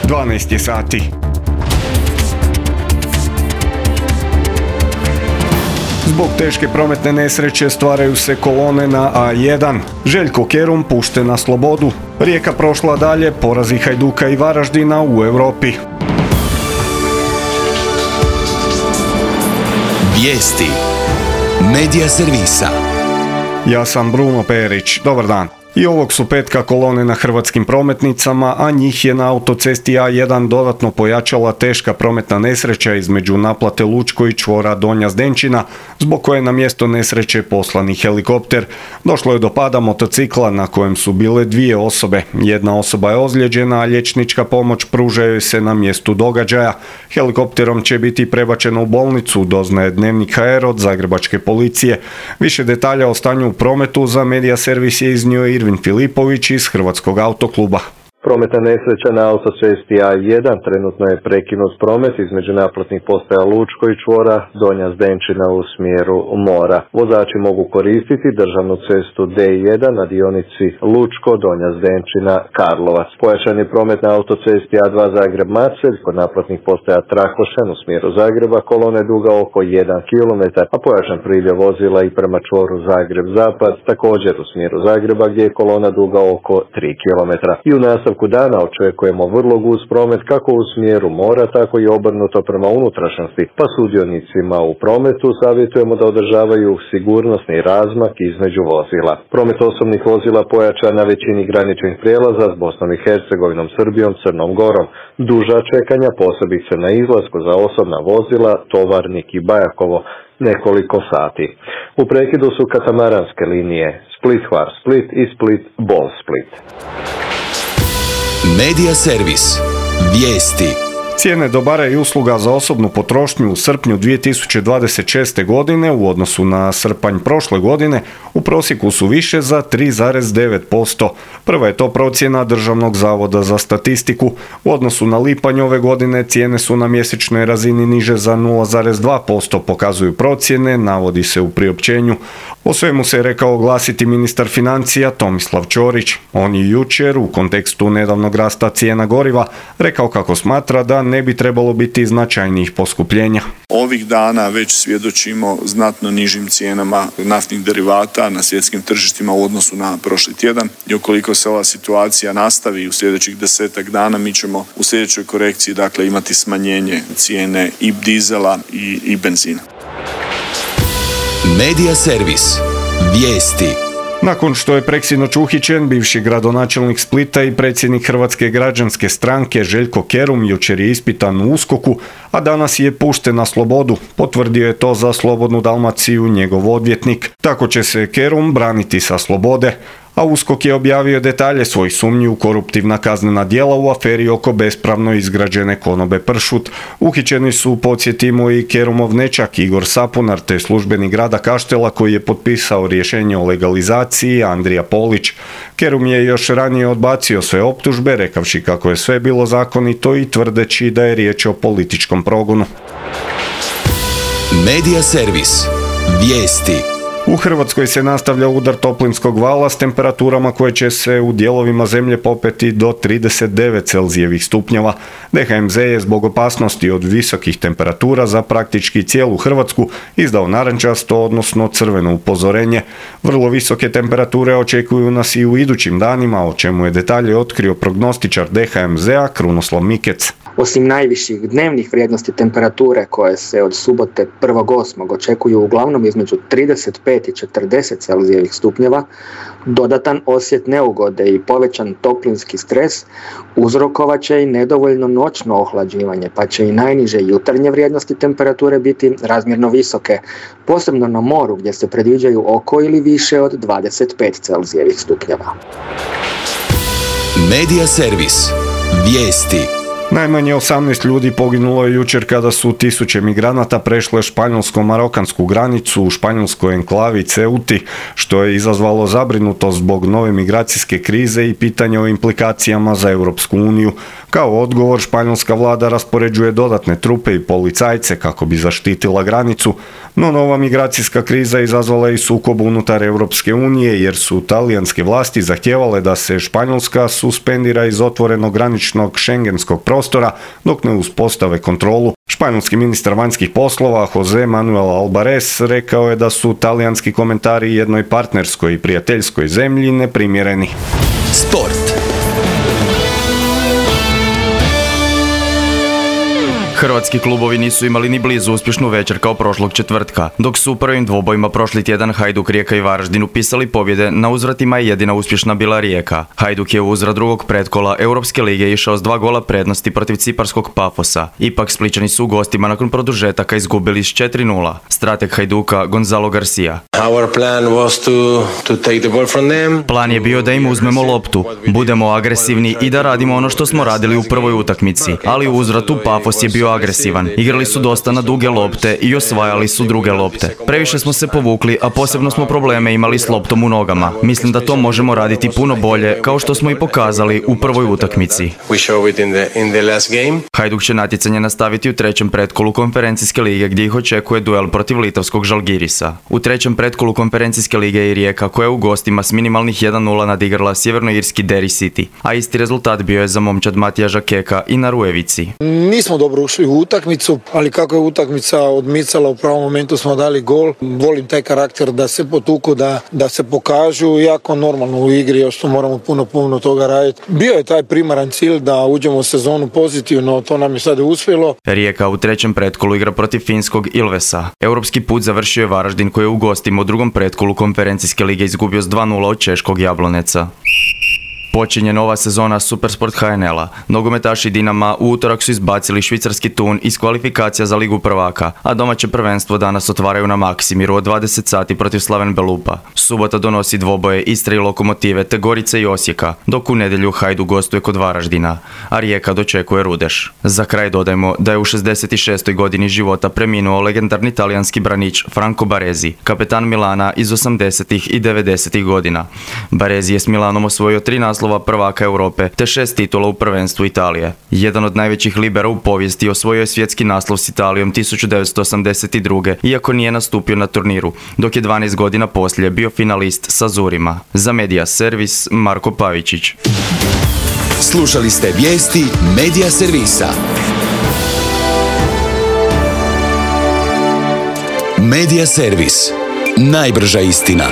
12 je sati. Zbog teške prometne nesreće stvaraju se kolone na A1. Željko Kerum pušten na slobodu. Rijeka prošla dalje, porazi Hajduka i Varaždina u Europi. Vijesti Medija servisa. Ja sam Bruno Perić. Dobar dan. I ovog su petka kolone na hrvatskim prometnicama, a njih je na autocesti A1 dodatno pojačala teška prometna nesreća između naplate Lučko i čvora Donja Zdenčina, zbog koje na mjesto nesreće poslani helikopter. Došlo je do pada motocikla na kojem su bile 2 osobe. Jedna osoba je ozlijeđena, a liječnička pomoć pruža joj se na mjestu događaja. Helikopterom će biti prebačena u bolnicu, doznaje Dnevnik HR od zagrebačke policije. Više detalja o stanju u prometu za Medija servis je iznio Irvin Filipović iz Hrvatskog autokluba. Prometna nesreća na autocesti A1 trenutno je prekinut promet između naplatnih postaja Lučko i čvora Donja Zdenčina u smjeru mora. Vozači mogu koristiti državnu cestu D1 na dionici Lučko, Donja Zdenčina, Karlovac. Pojačan je promet na autocesti A2 Zagreb-Macelj kod naplatnih postaja Trakošan u smjeru Zagreba, kolone duga oko 1 km, a pojačan priljev vozila i prema čvoru Zagreb-Zapad, također u smjeru Zagreba gdje je kolona duga oko 3 km. I u nastavku dana očekujemo vrlo gust promet kako u smjeru mora, tako i obrnuto prema unutrašnjosti, pa sudionicima u prometu savjetujemo da održavaju sigurnosni razmak između vozila. Promet osobnih vozila pojačan na većini graničnih prijelaza s Bosnom i Hercegovinom, Srbijom, Crnom Gorom. Duža čekanja, posebice na izlasku za osobna vozila, Tovarnik i Bajakovo, nekoliko sati. U prekidu su katamaranske linije Split-Hvar Split i Split-Bol Split. Medija servis. Vijesti. Cijene dobara i usluga za osobnu potrošnju u srpnju 2026. godine u odnosu na srpanj prošle godine u prosjeku su više za 3,9%. Prva je to procjena Državnog zavoda za statistiku. U odnosu na lipanj ove godine cijene su na mjesečnoj razini niže za 0,2%, pokazuju procjene, navodi se u priopćenju. O svemu se rekao oglasiti ministar financija Tomislav Ćorić. On je jučer u kontekstu nedavnog rasta cijena goriva rekao kako smatra da ne bi trebalo biti značajnijih poskupljenja. Ovih dana već svjedočimo znatno nižim cijenama naftnih derivata na svjetskim tržištima u odnosu na prošli tjedan i ukoliko se ova situacija nastavi u sljedećih 10 dana, mi ćemo u sljedećoj korekciji imati smanjenje cijene i dizela i benzina. Medija servis. Vijesti. Nakon što je preksinoć uhićen, bivši gradonačelnik Splita i predsjednik Hrvatske građanske stranke Željko Kerum jučer je ispitan u USKOK-u, a danas je pušten na slobodu. Potvrdio je to za Slobodnu Dalmaciju njegov odvjetnik. Tako će se Kerum braniti sa slobode, a USKOK je objavio detalje svojih sumnji u koruptivna kaznena djela u aferi oko bespravno izgrađene konobe Pršut. Uhićeni su, podsjetimo, i Kerumov nećak Igor Sapunar te službenik grada Kaštela koji je potpisao rješenje o legalizaciji Andrija Polić. Kerum je još ranije odbacio sve optužbe, rekavši kako je sve bilo zakonito i tvrdeći da je riječ o političkom progonu. Medija servis. Vijesti. U Hrvatskoj se nastavlja udar toplinskog vala s temperaturama koje će se u dijelovima zemlje popeti do 39 Celzijevih stupnjeva. DHMZ je zbog opasnosti od visokih temperatura za praktički cijelu Hrvatsku izdao narančasto, odnosno crveno upozorenje. Vrlo visoke temperature očekuju nas i u idućim danima, o čemu je detalje otkrio prognostičar DHMZ-a Krunoslav Mikec. Osim najviših dnevnih vrijednosti temperature koje se od subote 1.8. očekuju uglavnom između 35 i 40 Celzijevih stupnjeva, dodatan osjet neugode i povećan toplinski stres uzrokovat će i nedovoljno noćno ohlađivanje, pa će i najniže jutarnje vrijednosti temperature biti razmjerno visoke, posebno na moru gdje se predviđaju oko ili više od 25 Celzijevih stupnjeva. Medija servis. Vijesti. Najmanje 18 ljudi poginulo je jučer kada su tisuće migranata prešle španjolsko-marokansku granicu u španjolskoj enklavi Ceuti, što je izazvalo zabrinutost zbog nove migracijske krize i pitanje o implikacijama za Europsku uniju. Kao odgovor, španjolska vlada raspoređuje dodatne trupe i policajce kako bi zaštitila granicu, no nova migracijska kriza izazvala je i sukob unutar Europske unije jer su talijanske vlasti zahtijevale da se Španjolska suspendira iz otvorenog graničnog šengenskog prostora prostora dok ne uspostave kontrolu. Španjolski ministar vanjskih poslova Jose Manuel Albares rekao je da su talijanski komentari jednoj partnerskoj i prijateljskoj zemlji neprimjereni. Sport. Hrvatski klubovi nisu imali ni blizu uspješnu večer kao prošlog četvrtka, dok su u prvim dvobojima prošli tjedan Hajduk, Rijeka i Varaždin upisali pobjede, na uzvratima je jedina uspješna bila Rijeka. Hajduk je u uzvrat drugog pretkola Europske lige išao s 2 gola prednosti protiv ciparskog Pafosa. Ipak Splićani su u gostima nakon produžetaka izgubili s 4-0. Strateg Hajduka Gonzalo Garcia. Plan je bio da im uzmemo loptu, budemo agresivni i da radimo ono što smo radili u prvoj utakmici, ali u uzvratu Pafos je bio agresivan. Igrali su dosta na duge lopte i osvajali su druge lopte. Previše smo se povukli, a posebno smo probleme imali s loptom u nogama. Mislim da to možemo raditi puno bolje, kao što smo i pokazali u prvoj utakmici. Hajduk će natjecanje nastaviti u trećem pretkolu konferencijske lige gdje ih očekuje duel protiv litavskog Žalgirisa. U trećem pretkolu konferencijske lige i Rijeka, koja je u gostima s minimalnih 1-0 nadigrala sjevernoirski Derry City, a isti rezultat bio je za momčad Matija Žakeka i na Rujevici. Nismo dobro ušli u utakmicu, ali kako je utakmica odmicala, u pravom momentu smo dali gol. Volim taj karakter da se potuku, da se pokažu, jako normalno u igri, još moramo puno toga raditi. Bio je taj primaran cilj da uđemo u sezonu pozitivno, to nam je sad uspjelo. Rijeka u trećem pretkolu igra protiv finskog Ilvesa. Europski put završio je Varaždin, koji je u gostima u drugom pretkolu konferencijske lige izgubio s 2-0 od češkog Jabloneca. Počinje nova sezona Supersport HNL-a. Nogometaši Dinama u utorak su izbacili švicarski Thun iz kvalifikacija za Ligu prvaka, a domaće prvenstvo danas otvaraju na Maksimiru od 20 sati protiv Slaven Belupa. Subota donosi dvoboje Istre i Lokomotive te Gorice i Osijeka, dok u nedjelju Hajduk gostuje kod Varaždina, a Rijeka dočekuje Rudeš. Za kraj dodajmo da je u 66. godini života preminuo legendarni talijanski branič Franco Baresi, kapetan Milana iz 80. i 90. godina. Baresi je s Milanom osvojio 3 naslova prvaka Europe te 6 titula u prvenstvu Italije. Jedan od najvećih libera u povijesti, osvojio je svjetski naslov s Italijom 1982. iako nije nastupio na turniru, dok je 12 godina poslije bio finalist sa Zurima. Za Media Servis, Marko Pavičić. Slušali ste vijesti Media Servisa. Media Servis. Najbrža istina.